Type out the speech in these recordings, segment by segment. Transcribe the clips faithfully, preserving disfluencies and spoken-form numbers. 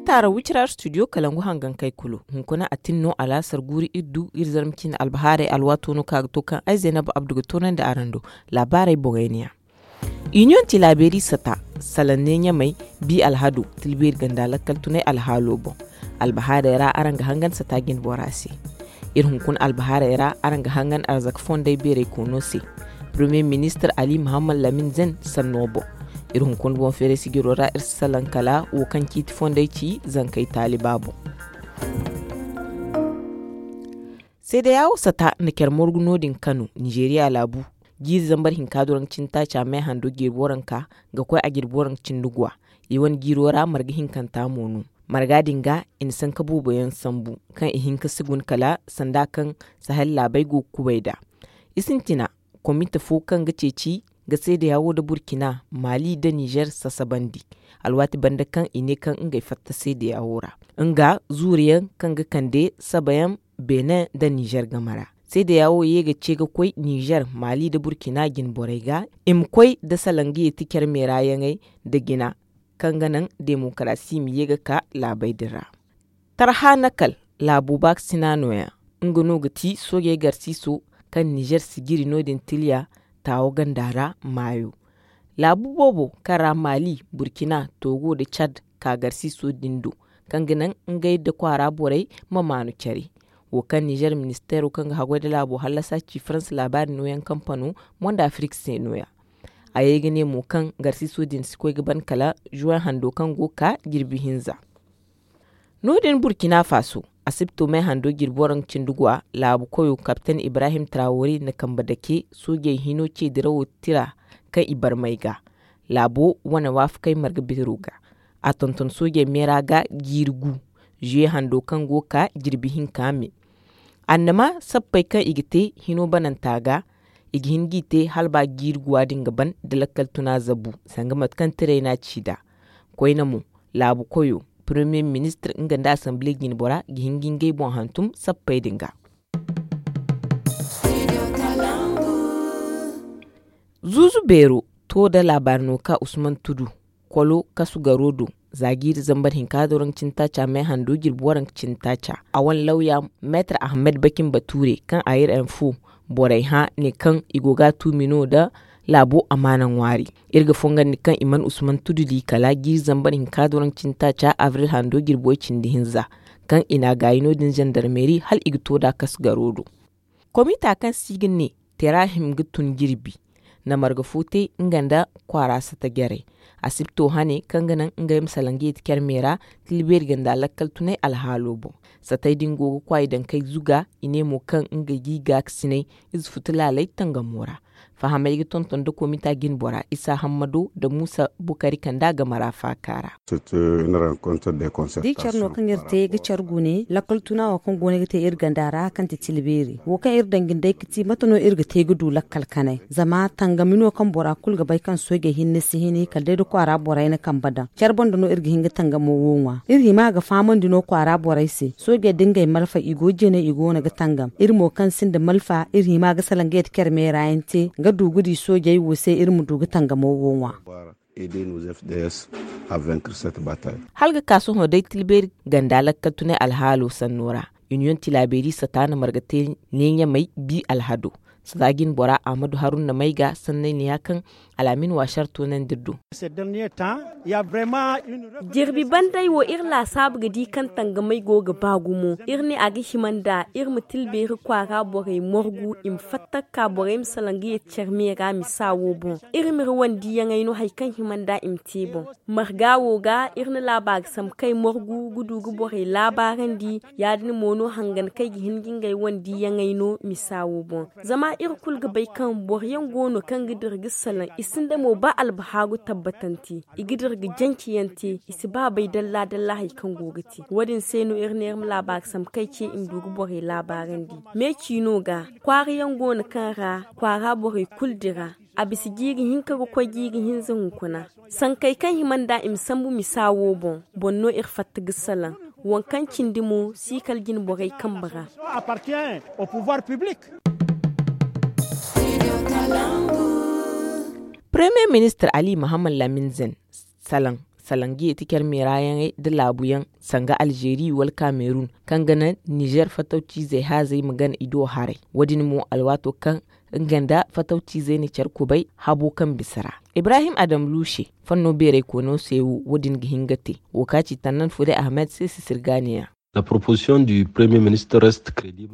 Taara wicira studio kalangu hangankey kulu. Hunkuna a tin no alaasar guuri iri du iri zarma ciine albahaarey alwaato no kaŋ a ga to kaŋ ay zaynab abdu ga toonandi araŋ do. Laabaarey boŋey ne ya. Iniyoŋ tilaabeeri sata, salaŋ ne ɲamey, bi alhado, tilbeeri ganda lakkal tunay alhaalo boŋ. Albahaarey ra araŋ ga hangan sata jinbora se. Iri hunkuna albahaarey ra araŋ ga hangan arzaka fondey beeray koono se. Premier ministre ali muhammad lamin zen sanno boŋ. Iri hunkuna boŋ feeray sijiro ra iri si salaŋ kala wo kaŋ ciiti fondey ci zankey taaliba boŋ. Seedeya wo sata nda care morgu no- din kano nizeeriya laabu. Jiiri zambar hinka duraŋ cintaaca meehando jirbi waranka ga koy a jirbi waranka cindi guwa. I wane jiiro ra marga hinkanta mo no. Marga din ga i na sanka boobo yaŋ sambu kaŋ i hin ka si guna kala sanda kaŋ sahel laabey go ga kubay nd'a. I sintina komite fo kaŋ ga ceeci ga seedeya wo nda burkina mali nda nizer sasabandi. Alwaati banda kaŋ i ne kaŋ ngey fatta seedeya wo ra nga zuuriyaŋ kaŋ ga kande sabayaŋ benin nda nizer game ra. Seedeya wo ye ga ce ga koy nizer mali nda burkina jinborey ga i ma koy nda salangiye ti care meera yaŋey nda jina kaŋ ga naŋ demokarasi ma ye ga ka laabey din ra. Tarha nakal laabo baakasina nooya. Nga no ga ti soojey garsiiso kaŋ nizer sijiri no- din tiliya taawo ganda ra maayo. Laabu boobo kaŋ ra mali burkina togo nda cad ka garsiiso din do kaŋ ga naŋ ngey nda kwaara borey ma maanu care. Wo kaŋ nizer ministeero kaŋ ga haggoy nda laabo hallasa ci faransa laabaari nooyaŋ kampano mondo afirik se nooya. A ye ga ne mo kaŋ garsiiso din si koy ga ban kala juwaŋ hando kaŋ go ga ka jirbi hinza. No- din burkina faso asibto meehando jirbi waranka cindi guwa laabu koyo kapten ibrahim trawari na kambe dake soojey hino ce dirawo tira kaŋ i barmay ga. Laabo wane waafakey marga beero ga a tonton soojey meera ga jiiri gu. Zuye hando kaŋ go ga ka jirbi hinka me annama sappey kaŋ i ga te hino bananta ga. I ga hin g'i te hala ba jiiri guwa din ga ban da lakkal tuna zabu sanga mate kaŋ tiray n'a ci nd'a. Koyne mo laabu koyo premier ministre nga nda asamble jinbora ga hin ga ngey boŋ hantum sappey din ga. Zuuzu beero to nda laabaari no ka usman tudu kolo kasu garo do za jiiri zambar hinka doroŋ cintaaca meehando jirbi waranka cintaaca a wane lawya meetar ahmed bakin bature kaŋ a ir info borey hã ne kaŋ i go ga a tuumi no nda laabo amaana ŋwaari. Iri ga fongandi kaŋ i mana usman tudu di kala jiiri zambar hinka doroŋ cintaaca abril hando jirbi way cindi hinza kaŋ i n'a gaayi no- din zandarmeeri hala i ga to nd'a kasu garo do. Komita kaŋ se i ga ne terahim ga tun jirbi na marga fo te nga nda kwaara sata jarey. Asibto hane kaŋ ga naŋ ngey ma salaŋ ga yeeti care me ra tilbeeri ganda lakkal tunay alhaalo boŋ. Satey din go ga kwaay daŋ kay zuga i ne mo kaŋ ngey g'i gaakasinay ize futu laaley tangamo ra. Fahamey ga tonton nda komita jinbora isa hammado nda muusa bukari kanda game ra faaka ra. Da i care no kaŋ iri te ga care gune lakkal tuna wo kaŋ go no ga te iri ganda ra kaŋ ti tilbeeri wo kaŋ iri daŋ jine day ga ti mate no iri ga te ga du lakkal kanay zama tangami no kaŋ bora kulu ga bay kaŋ soojey hinne si hini kala day da kwaara borey na kambe daŋ care banda no iri ga hin ga tangamo wo ŋwa. Iri hima ga fahamandi no kwaara borey se soojey da ngey malfa i go jine i go no ga tangam iri mo kaŋ sinda malfa iri hima ga salaŋ ga yeti care meera yaŋ te ga du ga di soojey wo se iri ma du ga tangamo wo ŋwa. Hala ga ka sohõ day tilbeeri ganda lakkal tunay alhaalo sanno ra. Iniyoŋ tilaabeeri sata na marga te neeɲamey bi alhado sata jinbora ahmadu haruna may ga sanney ne ya kaŋ alaamin waasar toonandi iri do. Jirbi bandey wo iri laasaabu ga di kaŋ tangamey go ga ba gumo iri ne a ga hima nd'a iri ma tilbeeri kwaara borey morgu i ma fatta ga ka borey ma salaŋ ga yeti care me ra misa wo boŋ. Iri ma iri wandiyaŋey no hari kaŋ hima nd'a i ma te boŋ. Marga wo ga iri na laabaari sambu kaŋ ay morgu ga du ga borey laabaarandi. Ya- din mo no hangan kaŋ ay ga hin ga ngey wandiyaŋey no misa wo boŋ. Zama iri kulu ga bay kaŋ boro yaŋ go no kaŋ ga dira ga salaŋ i sinda mo ba albahaaru tabbatante. I ga dira ga janci yaŋ te i si ba bay dalla dalla hari kaŋ go ga te wo- din se no iri ne iri ma laabaari sambu kaŋ ay ce i ma du ga borey laabaarandi. Me ciino ga kwaara yaŋ go no kaŋ ra kwaara borey kulu dira. A bisa jiiri hinka ga koy jiiri hinza hunkuna. Sankey kaŋ hima nd'a i ma sambu misa wo boŋ boŋ no iri fatta ga salaŋ. Waŋ kaŋ cindi mo si kala jinborey kambe ra. Premier ministre ali mahammad lamin zen salaŋ Salaŋ ga yeeti care meeraayaŋey nda laabuyaŋ, sanga alzeeri wala kaamerun, kaŋ ga naŋ nizeer fatawciizey haazey ma gana i do haray. Wo- din mo alwaato kaŋ nga nda fatawciizey na care kubay habo kaŋ bisa ra. Ibrahim adam luuse, fanno beeraykoyno se wo wo- din ga hin ga te. Wo ka ci tannan fude ahmed se sisirgaaniya.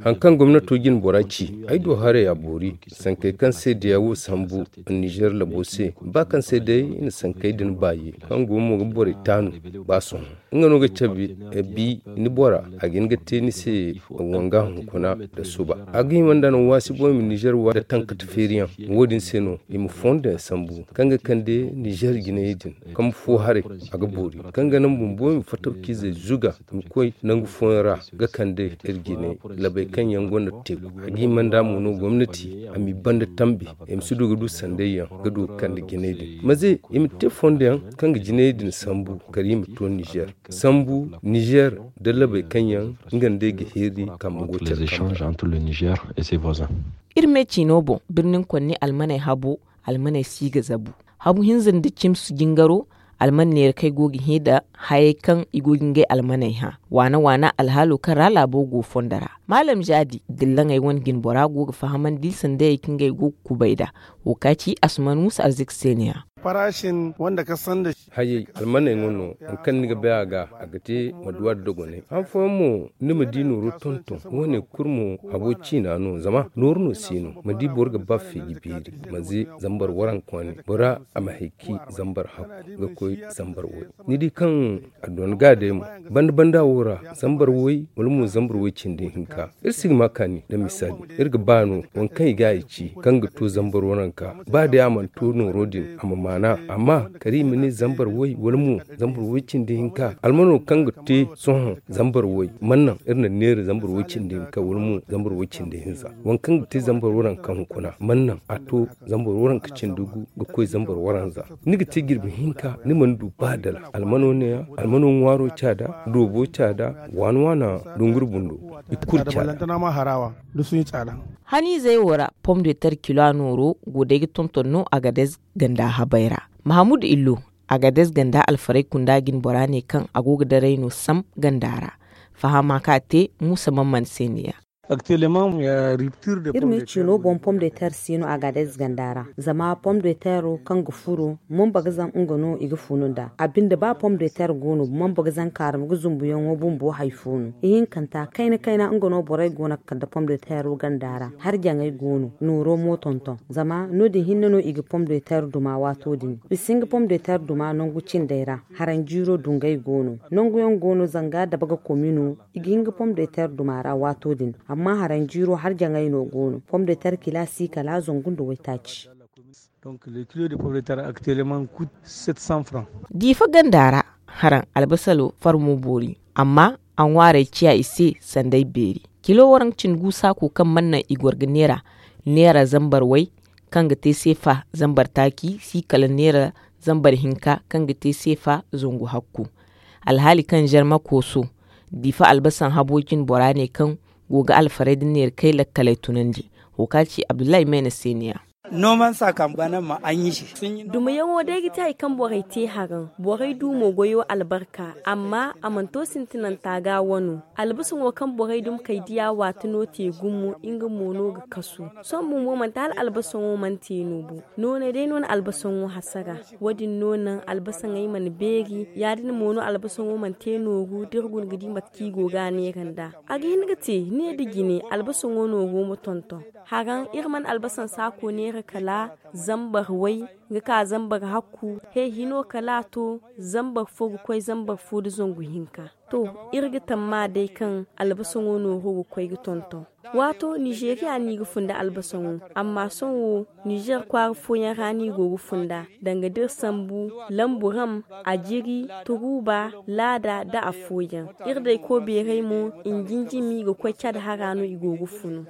Haŋ kaŋ gomnato jine bora ci, ay do haray a boori. Sankey kaŋ se diya wo sambu nizeer labo se, ba kaŋ se day i na sankey din baayi, kaŋ go mo ga borey taanu ba sohõ. Nga no ga cabe bi ni bora, a ga hin ga te ni se wanga hunkuna nda suba. A ga hima nda no waasi boŋ i ma nizeer wa nda tankata feeriyaŋ. Wo- din se no i ma fondo yaŋ sambu kaŋ ga kande nizeer jinayey din. Kambe fo haray, a ga boori kaŋ ga naŋ bumbo i ma fatawciizey zuga, i ma koy nangu fooyaŋ ra ga kande iri jinay labey kaŋ yaŋ gonda teeku. A ga hima nda mo no gomnati a m'i banda tambi, i ma si du ga du sandayyaŋ ga du ga kande jinay din maze i ma te fondo yaŋ kaŋ ga jinay din sambu kala i ma to nizeer. Sambu nizeer nda labey kaŋ yaŋ nga nda i ga heeri kambe go care kambe ra. Iri me ciino boŋ, birnin konni almaney habo, almaney si ga zabu. Habu hinza nda cimsu jingaro, alman neera kaŋ ay go ga hẽ nda hayey kaŋ i go ga ngey almaney hã. Waana waana alhaalo kaŋ ra laabo go fondo ra, maalam zaadi dillaŋey wane jinbora go ga fahamandi sandayey kaŋ ngey go ga kubay nd'a. Wo ka ci asuman musa arzika se ne-ya. Hayey almaney ŋwa no, hari kaŋ ni ga bay a ga, a ga te ma duwa nda dogonay. Han fooyaŋ mo, ni ma di nooro tonton. Wo- ne kulu mo habo ciina no, zama nooru no si no. Ma di boro ga ba feeji beeri, manze zambar waranka wane, bora a ma hayki zambar hakku ga koy zambar way. Ni di kaŋ a doona ga day mo, banda banda wo ra, zambar way wala mo zambar way cindi hinka. Iri si ga ma kaani nda misaali, iri ga ba no waŋ kaŋ i ga a ci kaŋ ga to zambar waranka. Ba day a mana to nooro din, a ma maana. Amma kala i ma ne zambar way wala mo zambar way cindi hinka, almano kaŋ ga te sohõ zambar way, mana naŋ iri na neera zambar way cindi hinka wala mo zambar way cindi hinza. Waŋ kaŋ ga te zambar waranka hunkuna, mana naŋ a to zambar waranka cindi gu ga koy zambar waranza. Ni ga te jirbi hinka, ni mana du ba dala. Almano neeya, almano ŋwaaro caada, doobo caada, waana waana dunguri bundo, i kulu caada. Haniizey wo ra, pom de ter kilo a nooro go day ga tonton no a ga day ganda habay ra. Mahamudu illo, a ga day ganda alfaray kunda jine bora ne kaŋ a go ga daray no sam ganda ra. Fahama kaŋ a te muusa man man se ne-ya. Iri me ciino boŋ pom de ter si no a ga day ganda ra, zama pom de tero kaŋ ga furo, mamba ga zan nga no i ga funu nda a binde ba pom de ter go no mamba ga zan kaarama ga zumbuyaŋo bumbo hari fo no. Ihinkanta kayna kayna nga no borey go no ga kande pom de tero ganda ra. Harjaŋey go no nooro mo tonton, zama no- din hinne no i ga pom de ter duma waato din. I si hin ga pom de ter duma nangu cindey ra. Haranjiiro dungey go no. Nanguyaŋ go no zanga dabaga komi no. I ga hin ga pom de ter duma ra waato din. Amma haranjiiro harjaŋey no go no. Pom de ter kila si kala zangu nda waytaaci. Diifa ganda ra, haraŋ albasalo farmo boori, amma a ŋwaarey ciya i se sanday beeri. Kilo waranka cindi gu saako kaŋ mana naŋ i goro ga neera, neera zambar way kaŋ ga te seefa zambar taaci si kala neera zambar hinka kaŋ ga te seefa zangu hakku. Alhaali kaŋ zarma kooso, diifa albasan habo jine bora ne kaŋ go ga alfaray nda neera kay lakkaley tunandi. Wo kaŋ a ci abdullahi mayna se ne-ya. Dumayaŋo day ga ti hari kaŋ borey te haraŋ, borey du mo goyo albarka, amma a mana to sintinanta ga wano. Albasaŋo kaŋ borey dumi kay diya waati no te gumo, nga mo no ga kasu. Sohõ bumbo manti hala albasaŋo mana te no bo. Nooney day no na albasaŋo hasara. Wo- din no naŋ albasaŋey mana beeri. Ya- din mo no albasaŋo mana te nooru da iri guna ga di mate kaŋ i go ga a neera nda. A ga hin ga te ne da jine albasaŋo nooru ma tonton. Haraŋ iri mana albasaŋ saako neera kala zambar way ga ka zambar hakku. He hino kala a to zambar fo ga koy zambar fo nda zangu hinka. To, iri ga tamma day kaŋ albasaŋo nooru ga koy ga tonton. Waato nizeeriya no i ga funda albasaŋo, amma sohõ nizeer kwaara fooyaŋ ra no i go ga funda. Danga da iri sambu lambu ram, ajiri, turuuba, laada nda afooyaŋ. Iri day koobeerey mo, njinjimi ga koy cad hara no i go ga funu.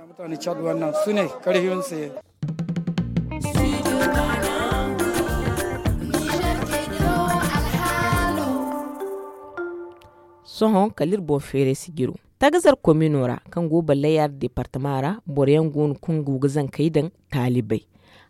Sohõ kala iri boŋ feeray sijiro, tagazar komino ra kaŋ go ballayar departama ra, boro yaŋ go no kaŋ go ga zankey daŋ taalibey.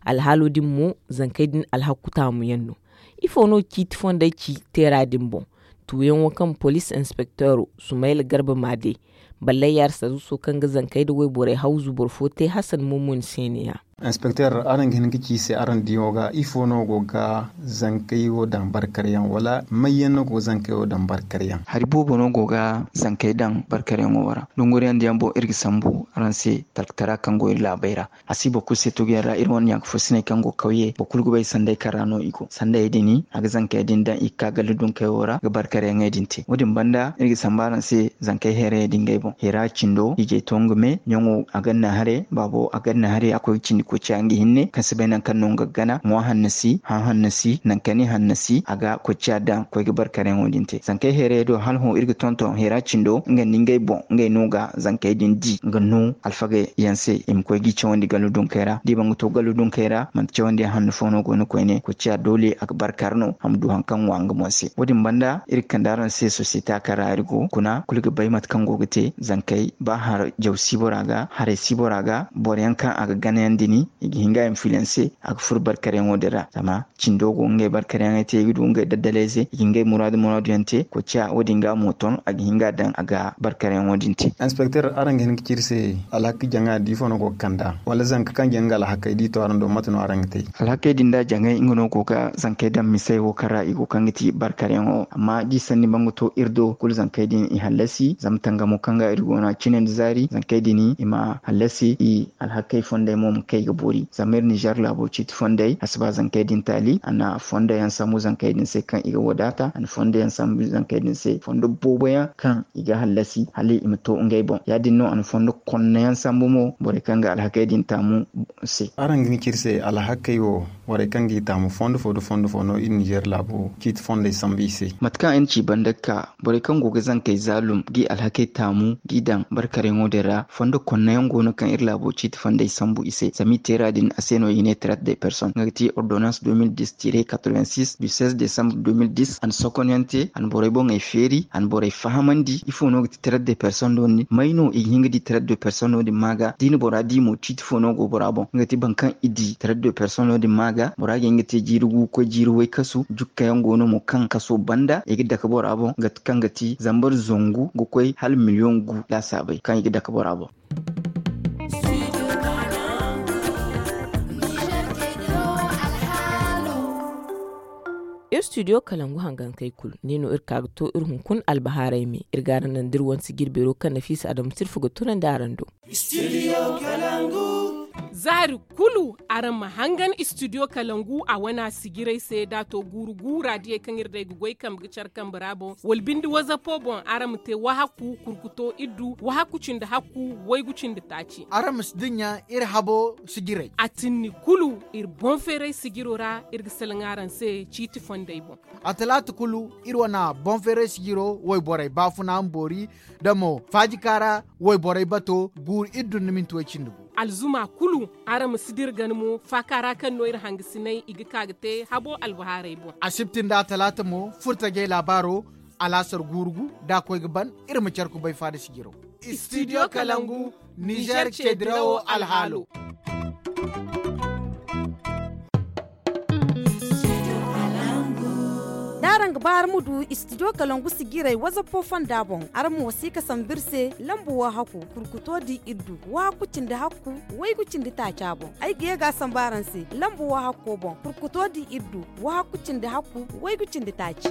Alhaalo din mo, zankey din alhakku taamu yaŋ no. Ifo no ciiti fondey ci teera din boŋ? Tuuyaŋo kaŋ poliis inspekteero sumayla garba maade, ballay yaarsaruuso kaŋ ga zankey nda wayborey hawzu boro fo te hasan mumuni se ne-ya. Inspekteer, araŋ ga hin ga ci i se araŋ diyaŋo ga ifo no go ga zankey wo daŋ barkaryaŋ wala mayyaŋ no go ga zankey wo daŋ barkaryaŋ? Hari boobo no go ga zankey daŋ barkaryaŋo wo ra. Dunguriyaŋ diyaŋ boŋ iri ga sambu araŋ se talkatara kaŋ go iri laabey ra. A si boro kulu se tuguyaŋ ra iri wane ɲaaka fursiney kaŋ go kawye boro kulu ga bay sanday kaŋ ra no i go sandayey din a ga zankey din daŋ i ga ka galla dunkey wo ra ga barkaryaŋey din te wo- din banda iri ga sambu araŋ se zankey heerayey din ngey boŋ heera cindo ijey to nga me ɲaŋo a ganna haray baabo a ganna haray a koy ga cindi koy ciya nga hinne kaŋ si bay nangu kaŋ no nga ga gana ŋwa hanno si hã hanno si nangu kaŋ i hanno si a ga koy ciya daŋ koy ga barkaryaŋo din te zankey heerayey do hala hõ iri ga tonton heera cindo nga nda ngey boŋ ngey no ga zankey din di nga no alfagey yaŋ se i ma koy g'i cawandi gallu dunkey ra da i ba nga to gallu dunkey ra manti cawandi yaŋ hanno fo no go no koyne koy ciya doole a ga barkar no a ma du hari kaŋ ŋwa nga boŋ se wo- din banda iri ga kande araŋ se sosiyete kaŋ ra iri go kuna kulu ga bay mate kaŋ go ga te zankey ba har jaw si bora ga haray si bora ga boro yaŋ kaŋ a ga gana yaŋ din i ga hin ga i ma filanse a ga furo barkaryaŋo din ra zama cindo go ngey barkaryaŋey te i ga du ngey daddalayze i ga ngey muraadu muraadu yaŋ te koy ciya wo- din ga mo ton a ga hin ga daŋ a ga barkaryaŋo din te. Inspekteer, araŋ ga hin ga ci iri se alhakey jaŋa da ifo no go ga kand'a wala zanka kaŋ jaŋ ga alhakey da i to araŋ do mate no araŋ ga te? Alhakey din da jaŋey nga no go ga zankey daŋ misey wo kaŋ ra i go kaŋ ga ti barkaryaŋo amma da i sanni ba nga to iri do kulu zankey din i hallasi zama tangamo kaŋ ga iri go no a cine nda zaari zankey din i ma hallasi i alhakey fondey mo ma kay ga boori zama iri nizer laabo ciiti fondey a si ba zankey din taali a na fondo yaŋ sambu zankey din se kaŋ i ga wadaata a na fondo yaŋ sambu zankey din se fondo boobo yaŋ kaŋ i ga hallasi hala i ma to ngey boŋ ya- din no a na fondo konno yaŋ sambu mo borey kaŋ ga alhakey din taamu se. Araŋ ga hin ga ci iri se alhakey wo borey kaŋ g'i taamu fondo fo nda fondo fo no iri nizer laabo ciiti fondey sambu i se? Mate kaŋ ay na ci banda ga ka borey kaŋ go ga zankey zaalum g'i alhakey taamu g'i daŋ barkaryaŋo din ra fondo konno yaŋ go no kaŋ iri laabo ciiti fondey sambu i se zama i teera din a se no i ne traite de personne nga ga ti ordonnance deux mille dix tire quatre-vingt-six du seize décembre deux mille dix a na sokonyaŋ te a na borey boŋey feeri a na borey fahamandi ifo no ga ti traite de personne no din may no i ga hin ga di traite de personne no din ma ga da i na bora di mo ciiti fo no go bora boŋ nga ga ti boro kaŋ i di traite de personne no din ma ga bora ga hin ga te jiiri gu ga koy jiiri way kasu jukka yaŋ go no mo kaŋ kaso banda i ga dake bora boŋ nga kaŋ ga ti zambar zangu ga koy hala miliyoŋ gu laasaabey kaŋ i ga dake bora boŋ. Iri studio kalangu hangankey kulu ne no iri ka ga to iri hunkuna albahaarey me iri ga araŋ naŋ da iri wane sijir beero kaŋ nafiisa adama sirfa ga tunandi araŋ do. Zaari kulu araŋ ma hangan studio kalangu a wana sijirey se da a to guuru gu raadiyey kaŋ iri day ga goy kambe ga care kambe ra boŋ wala binde wazapo boŋ araŋ ma te wahakku kurkuto iddu wahakku cindi hakku waygu cindi taaci. Araŋ ma si dinya iri habo sijirey. A tinni kulu iri boŋ feeray sijiro ra iri ga salaŋ araŋ se ciiti fondey boŋ. A talaata kulu iri wana boŋ feeray sijiro wayborey baafuna ma boori da mo faajika ra wayborey bato guuru iri dun na minti way cindi gu. Alzuma kulu araŋ ma si dira gana mo faaka ra kaŋ no iri hangasinay i ga ka ga te habo albahaarey boŋ. Asibti nda a talaata mo furtajey laabaaro alaasar guuru gu da a koy ga ban iri ma care kubay faada sijiro. Studio kalangu nizer ceedirawo alhaalo. Da araŋ ga ba araŋ ma du studio kalangu sijirey wazapo fonda boŋ araŋ mo si ga sambu iri se lambu wahakku kurkuto di iddu wahakku cindi hakku waygu cindi taaca boŋ ay ga ye ga a sambu araŋ se lambu wahakko boŋ kurkuto di iddu wahakku cindi hakku waygu cindi taaci.